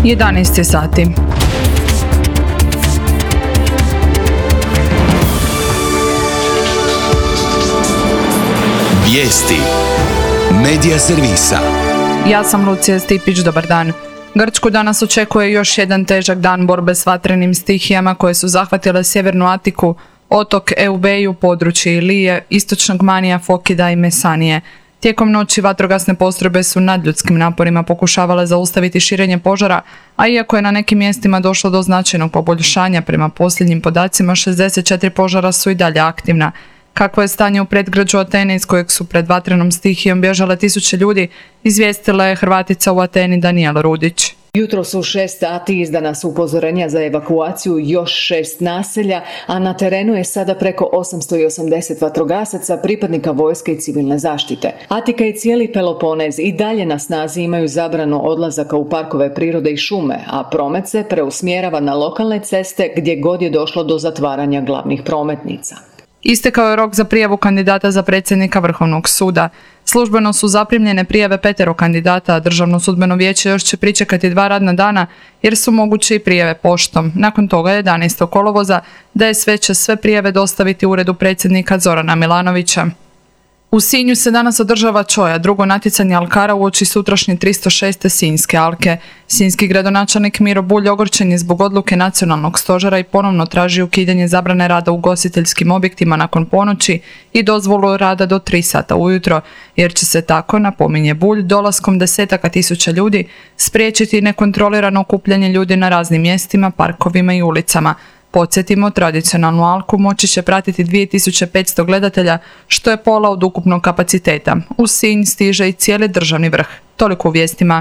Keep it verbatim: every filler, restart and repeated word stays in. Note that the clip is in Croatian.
jedanaest sati. Vijesti Medija servisa. Ja sam Lucija Stipić, dobar dan. Grčku danas očekuje još jedan težak dan borbe s vatrenim stihijama koje su zahvatile sjevernu Atiku, otok Eubeju, područje Ilije, istočnog Manija, Fokida i Mesanije. Tijekom noći vatrogasne postrojbe su nadljudskim naporima pokušavale zaustaviti širenje požara, a iako je na nekim mjestima došlo do značajnog poboljšanja, prema posljednjim podacima šezdeset četiri požara su i dalje aktivna. Kakvo je stanje u predgrađu Atene iz kojeg su pred vatrenom stihijom bježale tisuće ljudi, izvijestila je Hrvatica u Ateni Danijela Rudić. Jutros u šest sati izdana su upozorenja za evakuaciju još šest naselja, a na terenu je sada preko osamsto osamdeset vatrogasaca, pripadnika vojske i civilne zaštite. Atika i cijeli Peloponez i dalje na snazi imaju zabranu odlazaka u parkove prirode i šume, a promet se preusmjerava na lokalne ceste gdje god je došlo do zatvaranja glavnih prometnica. Istekao je rok za prijavu kandidata za predsjednika Vrhovnog suda. Službeno su zaprimljene prijave petero kandidata, a Državno sudbeno vijeće još će pričekati dva radna dana jer su moguće i prijave poštom. Nakon toga jedanaestog kolovoza D S V će sve prijave dostaviti uredu predsjednika Zorana Milanovića. U Sinju se danas održava Čoja, drugo natjecanje alkara uoči sutrašnje tristo šeste Sinjske alke. Sinjski gradonačelnik Miro Bulj ogorčen je zbog odluke nacionalnog stožera i ponovno traži ukidanje zabrane rada u ugostiteljskim objektima nakon ponoći i dozvolu rada do tri sata ujutro, jer će se tako, napominje Bulj, dolaskom desetaka tisuća ljudi spriječiti nekontrolirano okupljanje ljudi na raznim mjestima, parkovima i ulicama. Podsjetimo, tradicionalnu alku moći će pratiti dvije tisuće petsto gledatelja, što je pola od ukupnog kapaciteta. U Sinj stiže i cijeli državni vrh. Toliko u vijestima.